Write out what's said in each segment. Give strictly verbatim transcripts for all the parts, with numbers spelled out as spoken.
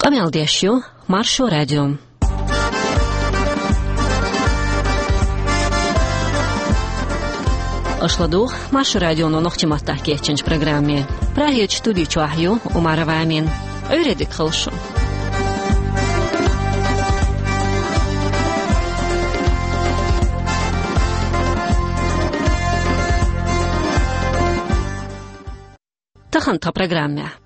Къамел деш ю Маршо радио. Аша ладугӀу Маршо радионо нохчийн маттахь кечйинчу программе. Прагерчу студи чохь ю Умарова Амина. Ӏуьйре дика хуьлда шун. Тахана тхан программехь.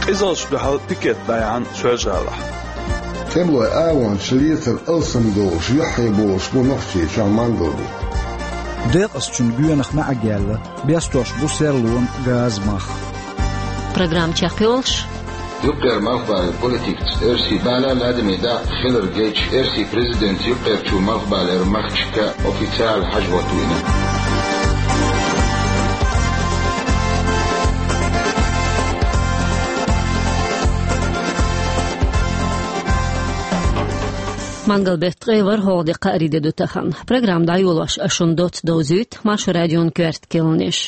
Къизаллаш дуьхьал пикет дӀаяьхьна Соьлжа-ГӀалахь. ТӀемалойн агӀончаш лецар алсам долуш, юьххьехь болуш бу нохчийчохь мангал бу. Декъазчун гоьнах маьӀарг яьлла, бестош бу серлонан газан мах. Программа чекхйолуш. Юккъера малхбалера политикаца оьрсийн бала ладаме дакъа хилар гайчу оьрсийн президентан юккъерчу малхбалера махкашка официалан хьажа-гӀо вина. Мангал беттан ткъе ворхӀалгӀа де, кхаарин де ду тахана. Программа дӀайолош ас шуна доцца довзуьйту Маршо радион коьрта кхаьънаш.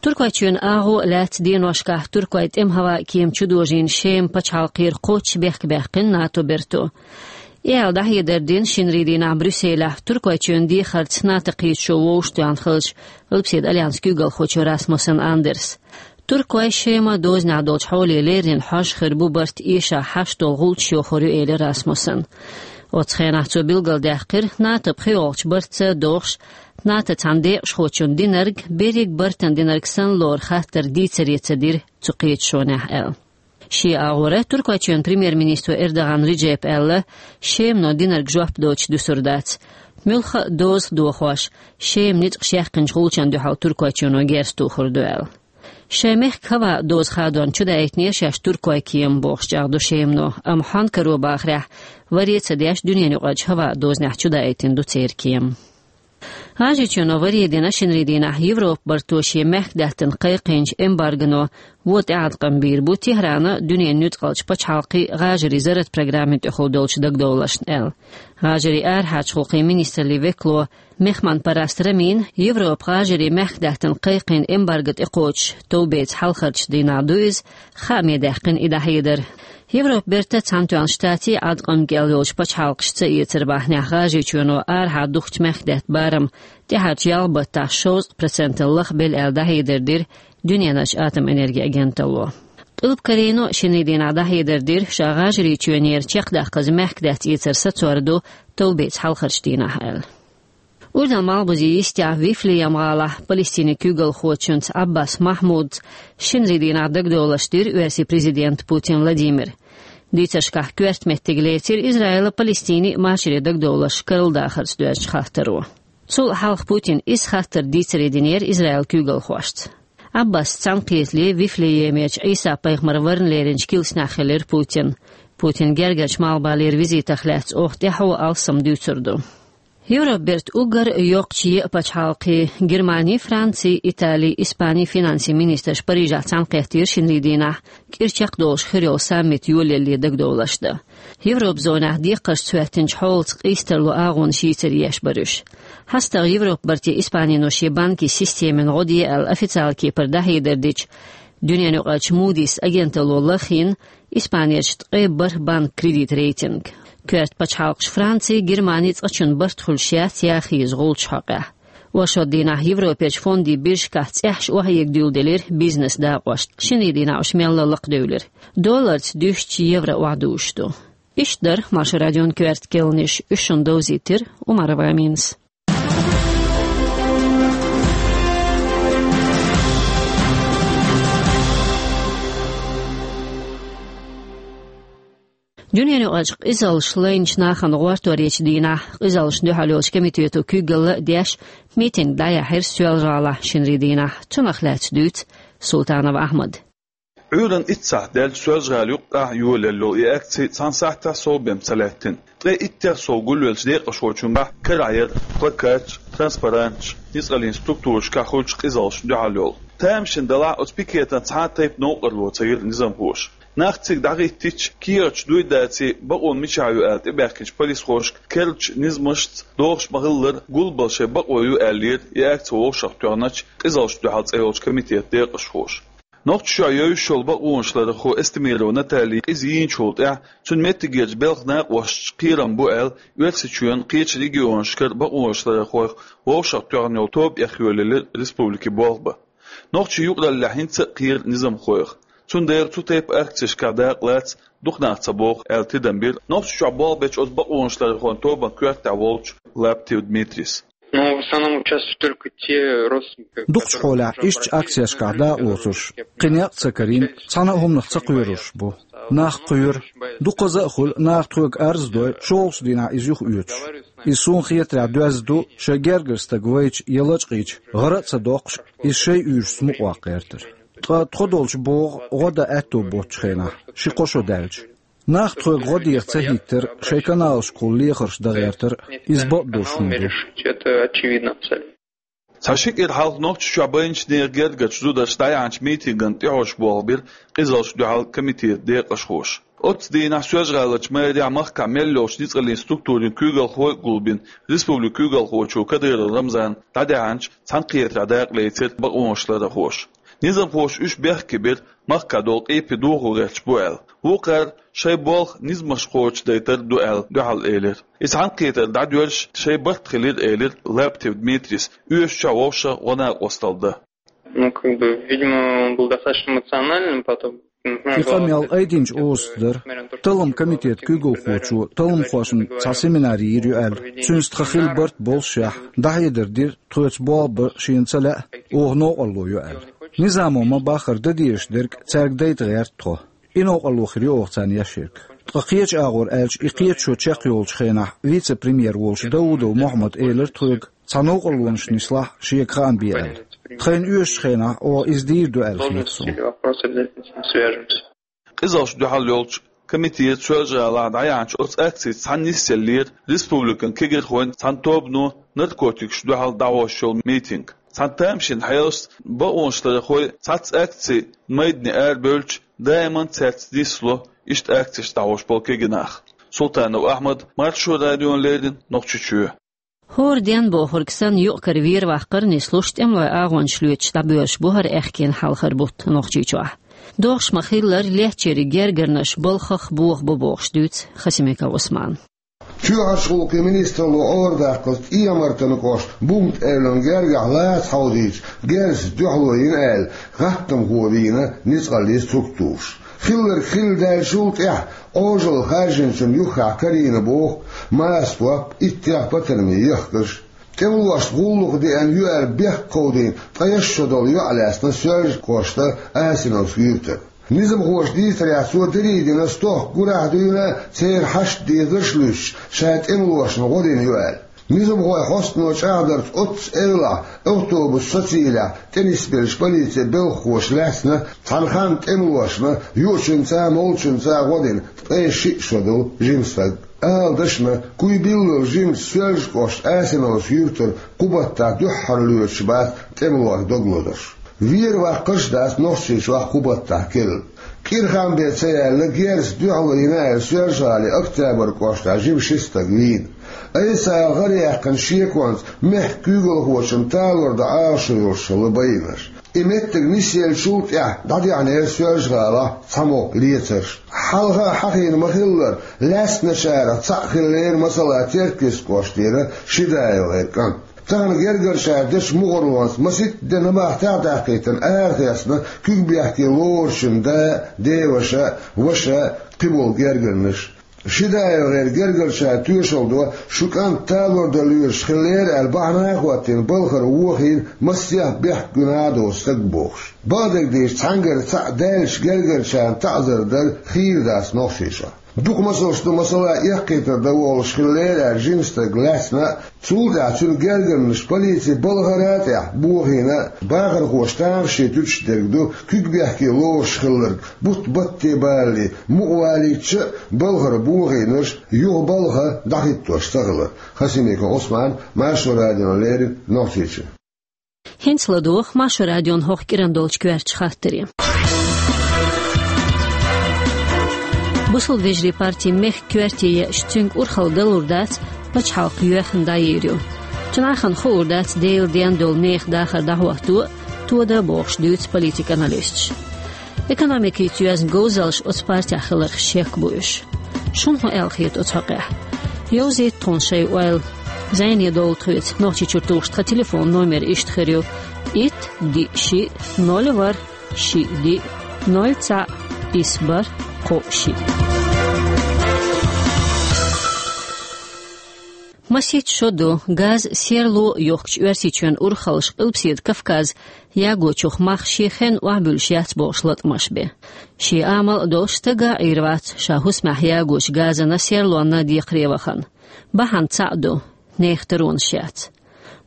Туркойчоьнан агӀо лаьцна деношкахь туркойн тӀеман хӀаваан кема чудожийна Шеман пачхьалкхера кхоччуш бехк баьккхина НАТО-н бертан. И аьлла дӀахьедар дина шинарин дийнахь Брюсселехь Туркойчоьнан дехарца НАТО-н кхеташо вовшахтоьхна хиллачу Альпийчоьнан альянсан куьйгалхочо Расмуссен Андерса. Туркойн Шеман дозанехь долчу хьоле леррина хьожа хир бу барт эшахь хьашт долу гӀулчаш йохур ю, элира Расмуссена. Оцу хенахь цо билгалдаьккхира, НАТО-н пхоьалгӀачу бартаца догӀуш, НАТО-н цхьана декъашхочунна динарг берриг бартана динарг санна лору хаттар дийцаре ца дира цу кхеташонехь аьлла. Шен агӀора Туркойчоьнан премьер-министро Эрдоган Реджепа аьлла, Шемано динарг жоп доцуш дуьсур дац. Муьлхха а дозанах дохош, Шеман ницкъаша яьккхинчу гӀулчашна дуьхьал Туркойчоьно герз тухур ду аьлла. Шайн мехкан хӀаваан дозан хадорна чудаийтинера шаьш туркойн кема бохуш чӀагӀдо Шемано, амма хьонкаро бахарехь, варе а ца деш, дуьненаюкъарчу хӀаваан дозанехь чудаийтина ду церан кема. ГӀажарийчоьно варе дина шинарин дийнахь Европан барто шен мехкдаьттан кхайкхийначу эмбаргоно вон тӀеӀаткъам бийр бу ТехӀрана дуьненан нуьцкъалчу пачхьалкхийн гӀажарийн зарратан программина тӀехула долчу дагадовларшна аьлла. ГӀажарийн арахьарчу гӀуллакхийн министраллин векало Мехман-Параст Рамина, Европа гӀажарийн мехкдаьттан кхайкхийна эмбарго тӀекхочуш товбеца хьалхарчу дийнахь ду иза, хааме даьккхина и дӀахьедар. Европан бертан а, Цхьаьнатоьхначу Штатийн а Ӏаткъам кӀел йолчу пачхьалкхаш ца эцар бахьанехь, ГӀажарийчоьно арахьа духкучу мехкдаьтта барам тӀаьхьарчу ялх баттахь шовзткъа процентана лахбелла аьлла дӀахьедар дира Дуьненан атомэнергин агенталло. Къилба Корейно шинарин дийнахь дӀахьедар дира, ша ГӀажарийчоьнера чекхдаккхаза мехкдаьтта эцар сацор ду товбеца хьалхарчу дийнахь аьлла. Урдан малхбузе йистехь Вифлеем-гӀалахь Палестинан куьйгалхочуьнца Ӏаббас Махьмудца шинарин дийнахь дагадовларш дира оьрсийн президента Путин Владимира. Дийцаршкахь коьрта меттиг лецира Израилан а, Палестинан а машаре дагадовларш карладахарца доьзначу хаттаро. Цул хьалха Путина иза хаттар дийцаре динера Израилан куьйгалхошца. Ӏаббасца цхьаьнакхетале Вифлеемерчу Ӏийса-пайхамар варна леринчу килсанехь хилира Путин. Путинан гергарчу малхбалера визитах лаьцна оха тӀаьхьо алсам дуьйцур ду. Европан бертан уггар йоккхачу еа пачхьалкхийн, Германин, Францин, Италин, Испанин финансийн министраш Парижехь цхьаьнакхеттера шинарин дийнахь кӀира чекхдолуш хир йолу саммит йолаялле дагадовларш дан. Европан зонехь декхаршца хӀоьттинчу хьолаца къийсам тарло агӀонаш йийцаре еш бара уьш. ХьастагӀа Европан барте Испанино шен банкийн системина гӀо де аьлла официалан кепара дӀахьедар дича, дуьненаюкъарчу Moody's агенталло лахйина Испанерчу ткъе бархӀ банкан кредит рейтинг. Коьрта пачхьалкхаш Франци, Германи цкъачунна барт хуьлуш яц яхийза гӀулчаш хьокъехь. Оршот дийнахь Европерчу фондийн биржашкахь цӀеххьана охьаэга дуьйладелира бизнес дакъошна. Шинарин дийнахь уьш мелла а лакхадевлира. Долларца дуьстича евро охьадузуш ду. Иштта дара Маршо радион коьрта кхаьънаш, уьш шуна довзийтира Умарова Аминас. Дуьненаюкъарчу къизаллаш лайначу нахана гӀорторечу дийнахь къизаллашна дуьхьал йолчу комитето куьйгалла а деш, митинг дӀаяьхьира Соьлжа-ГӀалахь шинарин дийнахь. Цунах лаьцна дуьйцу Султанов Ахьмада. Ӏуьйранна итт сахьт даьлча Соьлжа-ГӀала юккъехь йолаелла йолу и акци цхьана сахьтехь совбен ца лаьттина. Ткъе иттех сов гулвеллачу декъашхочуьнгахь карахь яра плакаташ, транспаранташ, ницкъаллин структурашкахь хуьлучу къизаллашна дуьхьал йолу. Тамашийна делахь, оцу пикетан цхьа а тайпа новкъарло ца йира низамхоша. Нах цига дӀахӀиттича, кехаташ дуй-даций, бакъо мичахь ю аьлла тӀебаьхкинчу полисхошка керлачу низамашца догӀуш ма-хиллара, гулбала шайн бакъо ю аьллера и акци вовшахтоьхначу къизаллашна дуьхьал цӀе йолчу комитетан декъашхоша. Нохчийчохь йовзуш йолу бакъонашларъярхо Эстемирова Натали къиза йийначул тӀаьхьа цуьнан меттигерчу белхан накъосташа кхерам бу аьлла, Оьрсийчоьнан кхечу регионашкара бакъонашларъярхойх вовшахтоьхна йолу тоба эхйолаелира республикин болх бан. Нохчийн юкъараллехь хӀинца а кхера низамхойх. Цундела цу тайпа акцешкахь дакъа лаца дукха нах ца боху аьлла тидам бира Нохчийчохь болх бечу оцу бакъонашларъярхойн тобанан коьртехь волчу Лаптев Дмитрийс. Но в основном участвуют только те родственники, которые... Дукхачу хьолехь иштта акцешкахь дакъа лоцурш, кхин некъ а ца карийна, цхьана а хӀуманах ца кхоьруш бу. Нах кхоьру. Дукхаза а хуьлу, наха тхоьга арз а дой, шолгӀачу дийнахь иза юхаоьцуш. Иза суна хетарехь доьзна ду, шайн гергара стаг вайча я лачкъийча, гӀара а ца доккхуш, иза шайн уьйрашца мукъаваккха гӀертар. Ткъа тхо долчу богӀу гӀо дан аьтто боцучу хенахь, ши-кхо шо даьлча. Нах тхоьга гӀо деха ца хӀиттар, шайн каналашкахула лехарш дан гӀертар, иза бакъдолуш хӀума ду. Это очевидно абсолютно. Цхьа ши кӀира хьалха Нохчийчохь байначу нехан гергарчу зударша дӀаяьхьначу митингана тӀехьожуш болх бира къизаллашна дуьхьал комитетан декъашхоша. Оццу дийнахь Соьлжа-ГӀаларчу мэрехь махкахь мел йолчу ницкъаллин структурийн куьйгалхой а гулбина, республикан куьйгалхочо Кадыров Рамзана дӀадаьхьначу цхьаьнакхетарехь дакъа лецира бакъонашларъярхоша. Низамхоша уьш бехке бира, махкахь долу къепе дохо гӀерташ бу аьлла. Вукхара шайн болх низамхоша дайтар ду аьлла дуьхьал элира. И цхьаьнакхетар дӀадоьрзуш шайн барт хилира, элира Лаптев Дмитрийс, оьшучохь вовшах гӀо-накъосталла дан. Ну, как бы, видимо, он был достаточно эмоциональным потом. И къамел айдинчу озаца дара. Талламан комитетан куьйгалхочо талламхошна цхьа семинар йийр ю аьлла, цуьнца тхан хилла барт боллушехь, дӀахьедар дира, тхоьца болх бан шена ца лаьа, оха новкъарло ю аьлла. Низамо ма-баххара дан дезаш дерг цаьрга дайта гӀерта тхо. И новкъарло хир ю оха царна еш ерг. Ткъа кхечу агӀор аьлча, и кхеташо чекхйолучу хенахь вице-премьер волчу Даудов Мохьмада элира тхоьга, цхьа новкъарлонаш нислахь, шега хаам бе аьлла. Тхайна оьшучу хенахь оха иза дийр ду аьлла хета суна. Къизаллашна дуьхьал йолчу комитета Соьлжа-ГӀалахь дӀаяьхьначу оцу акцица цхьаьна нисъеллера республикан кегийрхойн цхьана тобано наркотикашна дуьхьал дӀахьош йолу митинг. Цхьана тамашийна хьелашца бакъонашларъярхой цхьацца акцин майдане арабевлча, даиман цаьрца нисло иштта акцешна дӀахьош болу кегий нах. Султанов Ахьмад, Маршо радиона леррина, Нохчийчоь. ХӀора ден бохург санна, юкъ-кара вер-ваккхар нислуш, тӀемалойн агӀончаш лоьцуш дӀабоьлхуш бу хӀара аьхкенан хьалхара бутт Нохчийчохь. ДогӀуш ма-хиллара, лаьцначеран гергарнаш балхах боха бу бохуш дуьйцу Хасимиков Ӏусмана. Чоьхьарчу гӀуллакхийн министралло Ӏорадаккхалц ТӀехьа-Мартанан кӀоштан Бумта-Эвлан гергахь лаца хьовзийча, герзаца дуьхьало йина аьлла, гӀаттамхо вийна ницкъаллин структураша. Хилларг хилла даьллачул тӀаьхьа Ӏожалла харжинчун юххехь карийна боху маса топ, иттех патармийн ехкарш. ТӀемалошна гӀуллакх деана ю аьлла бехк кховдийна, ткъе исс шо долу йоӀ лаьцна Соьлжа-кӀоштан Асиновски юьртара. Низамхоша дийцарехь, цо дерриг дина стохка гурахь а дуьйна, церан хьашт дезарш а луьстуш, ша тӀемалошна гӀо дина ю аьлла. Низамхойн хьостано чӀагӀдарца, оццу эвлахь, автобус сацийла тӀе нисбеллачу полицин белхахоша лаьцна, цхьана ханна тӀемалошна юучуьнца а, молучуьнца а гӀо дина ткъе шиъ шо долу жима стаг. Ала дашна, куй биллалц жимачу Соьлжа-кӀоштан Асиновски юьртара кху баттахь дуьххьара лоьцуш бац тӀемалойх дог лозурш. Вер-ваккхарш а дац Нохчийчохь кху баттахь керла. Кхин хан бен ца яьлла, герзаца дуьхьало йина аьлла, Соьлжа-ГӀалин Октябрь кӀоштахь жима ши стаг вийна. Айса ала гӀара яьккхина шеконца мехкан куьйгалхочун талор дан Ӏалашо йолуш хилла байинарш. И меттиг нисъеллачул тӀаьхьа дӀадехнера Соьлжа-ГӀалахь цхьаммо лецарш. Хьалха а хьахийна ма-хиллара, лаьцначарах цхьаъ хиллера, масала, Теркйист кӀоштера Шидаева-гӀеран кӀант. Тахана гергарчара дечу мухӀарлонца масийтта де набахтехь а даьккхийтина арахецна, куьг бехке лоручун да, деваша, ваша, кхиболу гергарнаш. Шидаева-гӀеран гергарчара тоьшалла до, шун кӀант талор дан лоьраш хиллера аьлла бахьана а хӀоттийна, балхара вохийна, массех бехк гуьнахь а доцу стаг бохуш. Бакъдерг дийцича, цхьаьнгара цхьаъ даьллачу гергарчарна таӀзар дар хийра дац Нохчийчохь. Дукха масалш ду, масала, эккхийтар дан волуш хиллера аьлла жима стаг лаьцна а, цул тӀаьхьа цуьнан гергарнаш полицин балхара а тӀехь бохийна а, бахархоша тамашийна туьтуш дерг ду, куьг бехке лоруш хилларг, бутт батте балале, мукъа валийтича а, балхара бохийнарш юха балха дӀахӀиттош ца хилар. Хасимиков Ӏусман, Маршо радиона леррина, Нохчийчоь. ХӀинца ладогӀа Маршо радион хӀокху кӀиран долчу коьртачу хаттаре. Бусалба вежарийн партин мехкан коьрте еъча, цуьнга урхалла далур дац, пачхьалкх йоьхна дӀайийр ю. Цу нахана хуур дац Делан денна долу нехан дахар дӀахӀотто а, тода а бохуш дуьйцу политикан аналисташа. Экономикица йоьзна говзаллаш оцу партехь хиларх шек бу уьш. Шуна хӀун аьлла хета оцу хьокъехь? Йовзийта тхуна шайн ойла. Зайне долу тхоьца Нохчийчуьра тухуш тхан телефон номер иштта хир ю: итт, диъ, шиъ, ноль, ворхӀ, шиъ, диъ, ноль, цхьаъ, исс, бархӀ, кхоъ, шиъ. Масийтта шо ду, газ, серло йохкучу Оьрсийчоьнан урхаллаша Къилбаседа Кавказ ягочух мах шен хенна охьабуьллуш яц бохуш латамаш бен. Шен амал а долуш, стага а Ӏийр вац ша хӀусамехь ягочу газана, серлонна декхаре вахана. Бахьана цхьаъ ду: нехан таронаш яц.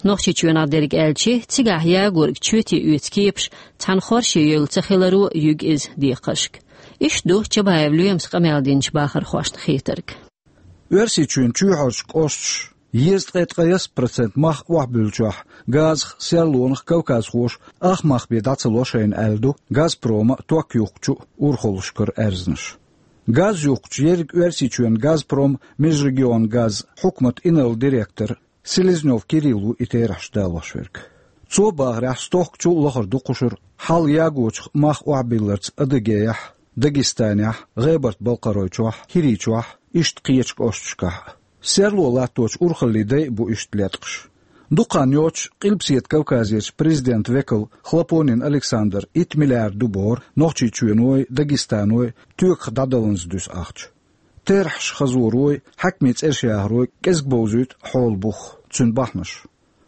Нохчийчоьнах дерг аьлча, цигахь ягорг чоьте оьцу кепаш цхьана хорше евлла ца хиларо юьгу иза декхаршка. Иштта ду Чабаев Лоьмас къамел динчу бахархошна хетарг. Оьрсийчоьнан чоьхьарчу кӀошташа езткъе ткъаясса процент мах охьабуьллучохь, газах, серлонах кавказхоша ах мах бен дӀа ца ло шайна аьлла ду «Газпрома» ток юхкучу урхаллашкара аьрзнаш. Газ юхкучу ерриг Оьрсийчоьнан «Газпром межрегионгаз» хьукматан инарла директор Селезнёв Кирилла ву и терахьаш далош верг. Цо бахарехь, стохкачул а лахара ду кхушара хьал ягочух мах охьабилларца Адыгейхь, Дагестанехь, ГӀебарта-Балкхаройчохь, ХӀирийчохь, иштта кхечу кӀошташкахь а. Серло латточу урхаллийн дай а бу иштта леткъаш. Дукха хан йоццуш Къилбаседа Кавказерчу президентан векала Хлопонин Александра итт миллиард ду бохура Нохчийчоьной, Дагестаной тоьках дӀадалланза дуьсу ахча. Терахьаш хазорой, хьаькамийн цӀераш яхарой кӀезиг бовзуьйту хьолан бух, цуьнан бахьанаш.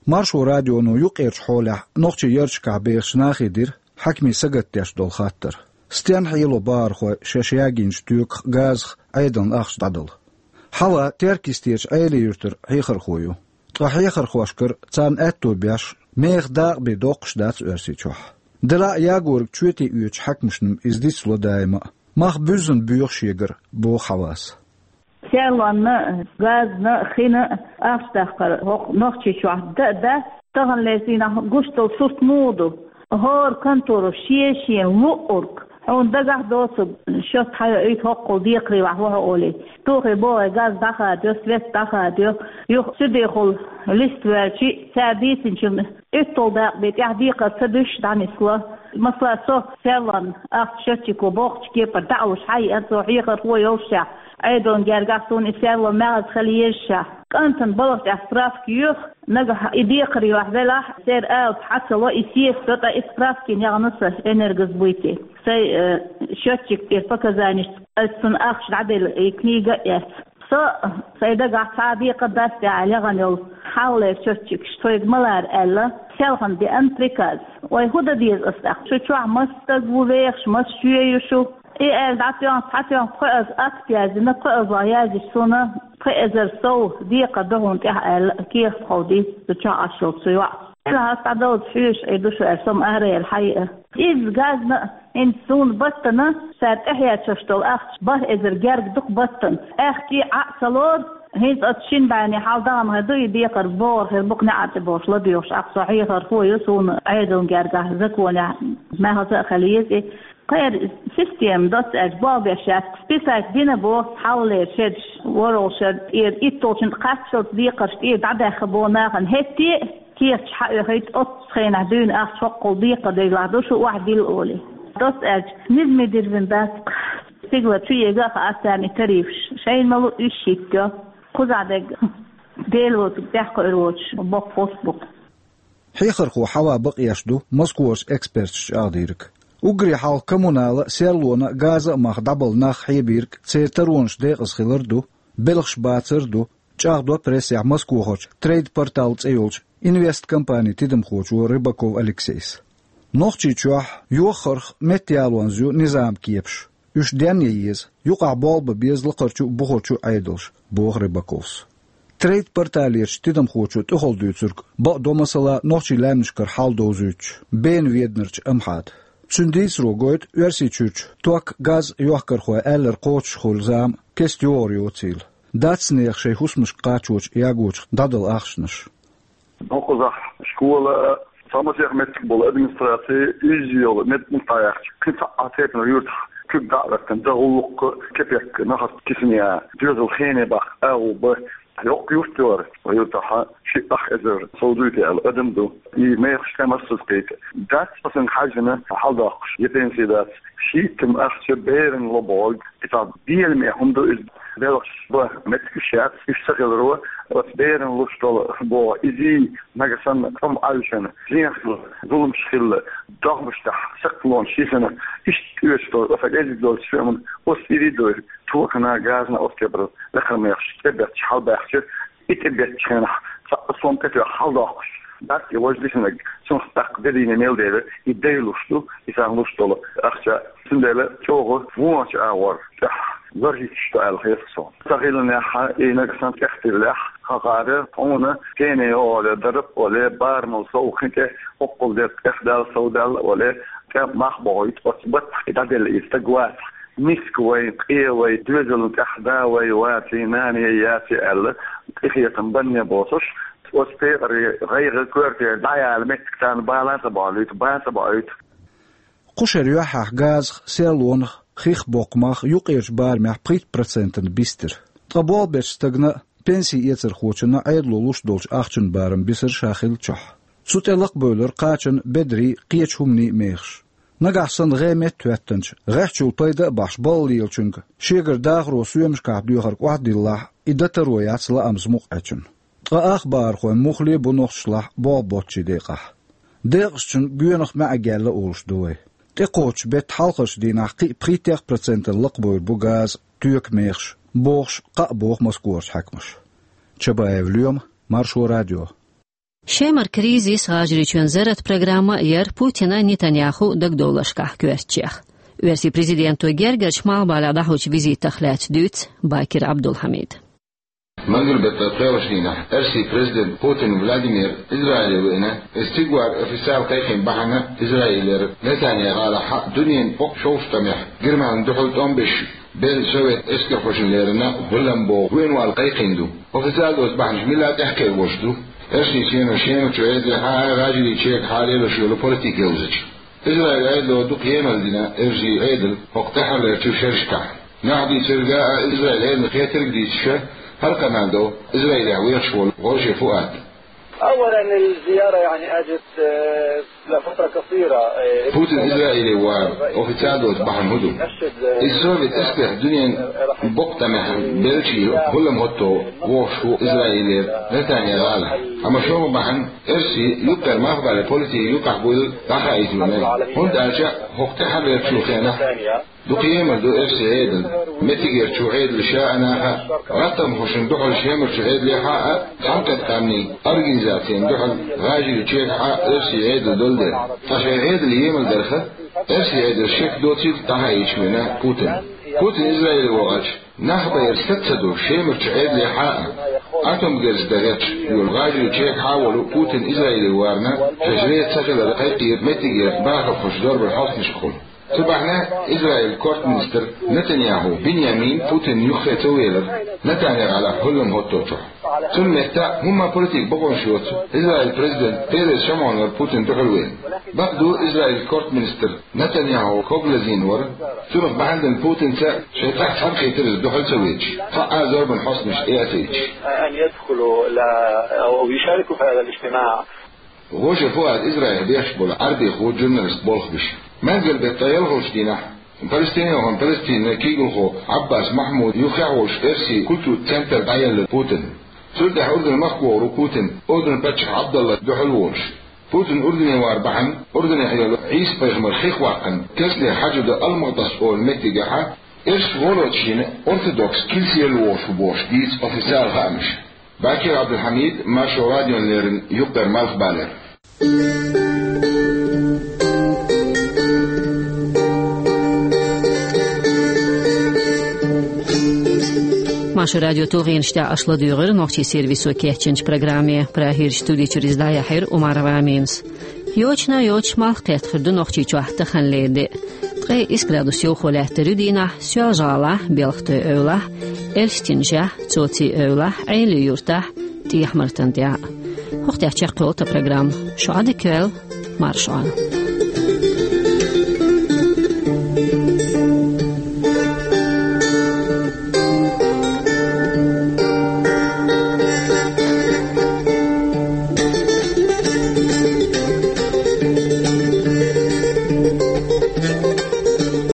Маршо радионо юккъерчу хьолехь нохчийн ярташкахь бехачу нахе дира хьаькамийн сагатдеш долу хаттар: стенна хьело бахархой шаьш ягийначу тоьках, газах Ӏедална ахча дӀадала? Хьава Теркйистерчу Ӏелин-Юьртара хьехархо ю. Ткъа хьехархошкара, царна аьтто беш, меха дакъа бен доккхуш дац Оьрсийчохь. Делахь а ягорг чоьте оьцучу хьаькамашна-м иза дицло даима а. Мах буьззина боьху шегара, боху Хьавас. Серлонна, газна, хина ахча даккхар хӀокху Нохчийчохь дан а дац, тахана леррина гуш долу сурт муха ду? ХӀора конторо шен-шен луъург, хьуна дагахь доцург, шо схьайоуьйту хӀоккхул декхаре вахь ву хьо олий. Тухий бохий, газ дӀахадайо, свет дӀахадайо, юха цуьдехула листа воьлчий, цара дийцинчун уьтталгӀа дакъа бен тӀехь декхар ца дуьсуш дӀанисло. Масала, со серлонна ахча счётчико боккхачу кепара дӀа а луш хьаеана, цо хьехархо йолушехь, Ӏедална гергахь суна и серло маьӀаза хила езашехь, кӀантана балха тӀехь справка йоьху, нагахь и декхаре вахь велахь, церан алапа хьа ца ло, и сесто, ткъа и справкина яхана сан энергосбыте. Сайн, э, счётчик тӀера показаниш, аса цунна ахча дӀаделла и книга а эцна. Со, сайн дагахь цхьа а декхар дац тӀехь легӀана йолу хьалхалера счётчикаш, тхоьга ма лара аьлла, селхана деана приказ. Вай хӀун дан деза аса тӀаккха? Шу чохь маса стаг ву вехаш, маса чоь ю шу? И аьлла дӀатоьхна, схьатоьхна, пхоьазза акт яздина, пхоьазза язйича суна, пхи эзар сов декхар ду хьуна тӀехь аьлла, кехат ховдийца шу чохь Ӏаш йолчу йоӀа. Делахь аса дӀадовза хьоьжуш Ӏе ду шу аьлла, со-м араяьлла хьаеа. Изза газна а, хӀинца суна баттана, цара тӀехьечуш долу ахча бархӀ эзар герга ду-кх баттана. Аьхкий Ӏа а ца лору, хӀинца оцу шина бӀеннийн хьал дахана хир ду, и декхар богӀур хир бу-кх неӀарчӀа бохуш ладоьгӀуш, ахь со хьехархо ю, суна Ӏедална гергахь законехь маьхза а хила еза и. Кхера система доцца аьлча болх беш яц, списать дина боху хьалхалера шераш, ворхӀалгӀа шеран тӀера, итталгӀачун кхаччалц декхарш тӀера дӀадаьхна боху нахана хӀетте а, кехаташ хьаоьхуьйту оццу хенахь дуьйна ахча хӀоккхул декхар дезалахь ду шу охьадилла олий. Доцца аьлча, низаме дирзина дац-кх. Стигала чу ега а хаьа царна и тарифаш. Шайна ма луъу, уьш хӀиттайо. Кхузахь дерг Дела воцург тӀехь кхуьур воцуш боккха хӀусс бу-кх. Хьехархо Хьава бакъ еш ду Москварчу эксперташа чӀагӀдийриг. Уггаре хьалха коммунала а, серлона а, газа а мах дӀабала нах хьебийриг церан таронаш декъаза хилар а ду, белхаш бацар а ду, чӀагӀдо прессехь Москвахарчу «Трейд-портал» цӀе йолчу инвесткомпанин тидамхочо Рыбаков Алексейс. Нохчийчохь йоххарх меттаялонза ю низаман кепаш. Уьш денъян еза, юкъахь болх бан беза лакхарчу а, бухарчу а Ӏедалша, боху Рыбаковс. «Трейд-порталерчу» тидамхочо тӀехула дуьйцург бакъдо, масала, нохчийн лаьмнашкара хьал довзуьйтуш, Бена веданарчу Амхьада. Цуьнан дийцаро гойту Оьрсийчуьрчу ток, газ йохкархой аьлларг кхочушхуьлу зама кеста йогӀур йоцийла. Дац нехан шайн хӀусамашка кхачочу ягочух дӀадала ахчанаш. ХӀокхузахь школа а, цхьа масех меттиг болу администраци, изза йолу меттиг дӀаяхча, кхин цхьа а цепан юьртах куьг дӀа а хӀоьттина, дан гӀуллакх а, кепек а нахаца кисана ян, доьзал хене баккха агӀо бан, Йоккха юрт яр, вай юртахь ши ах эзар сов дуьйцу аьлла адам ду. И мехаш тӀе массаза кхийта. Дац аса хьаьжжина хьаладоккхуш, я пенси дац. Шийтта ахча берана ло бохург, и цхьа беламе хӀума ду иза. Белхаш бан меттигаш яц, уьш ца хиларо, оцу берана луш долу боху изий, нагахь санна тӀом Ӏаьвшина, зенах хилла, зуламаш хилла, догӀмаш тӀехь сакхталонаш йисина, иштта оьшуш долу, оцу кӀезиг долчу соьман оцу ирий дойр, токана, газана оцу кепара лакхара мехаш тӀебетташ хьалабаьхча, и тӀебеттачу хенахь цхьа а сом тӀетоьхна хьаладоккхуш дац и важа дисинарг, цунах тӀаккха де дийна мел дела, и дайлуш ду, и царна луш долу ахча. Цундела чӀогӀа вончу агӀор тӀехь лархӀийташ ду аьлла хета суна. Ца хиланехь, и нагахь санна тӀехтирлехь, хӀокхара хьуна пене оле, дараб оле, барамал сов кхин тӀе оккхул дерг тӀехдала, совдала оле, тӀе мах бохуьйту, оцу баттахь и дӀаделла и стаг вац. Миска вай, къе вай, доьзална тӀехь да вай ваций, нане яций аьлла, къинхетам банне боцуш, оцу пекъаре гӀайгӀа коьрте дӀаяла меттиг царна бала ца бахьуьйту, бан ца бахьуьйту. Кху шеран юьххьехь газах, серлонах, хих боккхамах юккъерчу барамехь пхийтта процентана бистира. Ткъа болх бечу стагна а, пенси эцархочунна а Ӏедало луш долчу ахчанан барам бисира ша хиллачохь. Цу тӀе лакхабевлира кхачанан, бедарийн, кхечу хӀуманийн мехаш. Нагахь санна гӀеметта хӀоьттинчу, гӀеххьачул пайда а бахьаш балха лелачуьнга шегара дахаро соьмашкахь доьхург охьадиллахь, и дан таро яц лаамца мукъа Ӏечун. Ткъа ах бахархойн муххале а бу нохчашлахь болх боцчийн декъахь. Декъашчун гоьнах маьӀӀе гелла олуш ду вай. ТӀекхоччу беттан хьалхарчу дийнахь кхин а пхийттех процентана лакхабевр бу газ, тоька мехаш, бохуш, кхаъ боху Москварчу хьаькамаша. Чабаев Лоьма, Маршо радио. Шемара кризис, ГӀажарийчоьнан зарратан программа а яра Путинан, Нетаньяхун дагадовларшкахь коьртачех. Оьрсийн президента гергарчу Малхбалехь дӀахьочу визитах лаьцна дуьйцу Бакир Абдулхьамида. Мангал беттан пхоьалгӀачу дийнахь оьрсийн президент Путин Владимир Израиле веана, иза цига вар официал кхайкхийна бахьана Израилера Нетаньяху гӀалахь дуьненан боккха шовзткъа тӀамехь Германина дуьхьал тӀом беш белла совет эскархошна леррина гӀуллам боху воьйнавала кхайкхийна ду. Официал доцу бахьанаш милла тӀехкхийра волуш ду. Оьрсийчоьно Шемарчу Ӏедалехьа а, ГӀажарийн чергахьа а лелош йолу политика йовзачу. Израиль Ӏедало дукха емал дина оьрсийн Ӏедална хӀокху тӀаьххьарлерчу шерашкахь. Нах дийцарга а, Израиль Ӏедална хетарг а дийцича, хӀара къамел до Израилехь вехаш волу Гожа Фуад. أولاً الزيارة يعني أجت، آه، لفترة قصيرة، آه، Путин Израиле вар официал доцу бахьана хӀун ду? Иза совет эскархой дуьненан боккха тӀамехь беллачийн гӀуллам хӀотто вохуш ву Израилера Нетаньяху гӀала. Амма шолгӀа бахьана оьрсийн юккъера Малхбалера политика юкъахь буйла дӀахаийта вина. ХӀунда аьлча хӀокху тӀаьххьарлерчу хенахь дукха емал ду оьрсийн Ӏедална, меттигерчу Ӏедалша а, наха а, гӀаттамхошна дуьхьал Шемарчу Ӏедалехьа а, цхьаьнакхетта къаьмнийн организацина дуьхьал ГӀажарийн чергахьа а оьрсийн Ӏедал долу дела. Ткъа шайн Ӏедалан емал дарх оьрсийн Ӏедалш шек доцийла дӀахаийча вина Путин. Путин Израиле вахча, нах байра саца ца ду Шемарчу Ӏедалехьа а, атомгерз дан гӀерташ йолу ГӀажарийн чергахьа а волу Путин Израиле варна, шайн жрец ца хилар кхайкхийра меттигера бахархоша зорбанан хьостанашкахула. Цу бахьана Израиль кортминистр Нетаньяху Биньямин Путинна юххе ца велира Нетаньяху гӀалахь гӀуллам хӀотточохь. Цунна метта хӀумма политика бакъонаш йоцу Израиль президент Перес Шамон вара Путинна дуьхьал веана. Бакъду, Израиль кортминистр Нетаньяху когалазийна вара, цунах бахьана дина Путинца шайн тӀехь цхьаьнакхийтира иза дуьхьал ца веача, цхьа а зорбанан хьостанаш тӀе а ца йича. أن يدخلوا لا، أو يشاركوا في هذا الاجتماع. Гожа Фуад Израилехь бехаш болу Ӏарбехо журналист болх беш. Мангал беттан ялхалгӀачу дийнахь Палестинехь Палестинан куьйгалхо Ӏаббас Махьмуд юххехь волуш оьрсийн культуран центр дӀаелла Путинна. Цул тӀаьхьа Урдун махка вогӀур ву Путин, Урдун паччахь Ӏабдалла дуьхьал волуш. Путин Урдуне вар бахьана, Урдунехь йолу Ӏийса-пайхамар хих ваккхина, кесте хьаьж ду Ал-Мукъадас олу меттигехьа, оьрсийн гӀуллакхчийн ортодокс килсера вогӀуш ву бохуш дийца официал хаамаш. Бакир Абдулхьамид, Маршо радиона леррина, юккъера Малхбалера. Маршо радион тулгӀенаш тӀехь аша ладуьйгӀира нохчийн сервисо кечйинчу программе. Прагерчу студи чуьра иза дӀаяьхьира Умарова Аминас. Йочана йоцуш малх кхетта хир ду Нохчийчохь таханлера де. Ткъе исс градус йовхо лаьттар ю дийнахь Соьлжа-ГӀалахь, Белхатуй-Эвлахь, Эльстинжехь, Цоци-Эвлахь, Ӏелин-Юртахь, ТӀехьа-Мартан тӀехь. ХӀокху тӀехь чекхйолу тхан программа. Шу Ӏадика йойла, марша Ӏойла.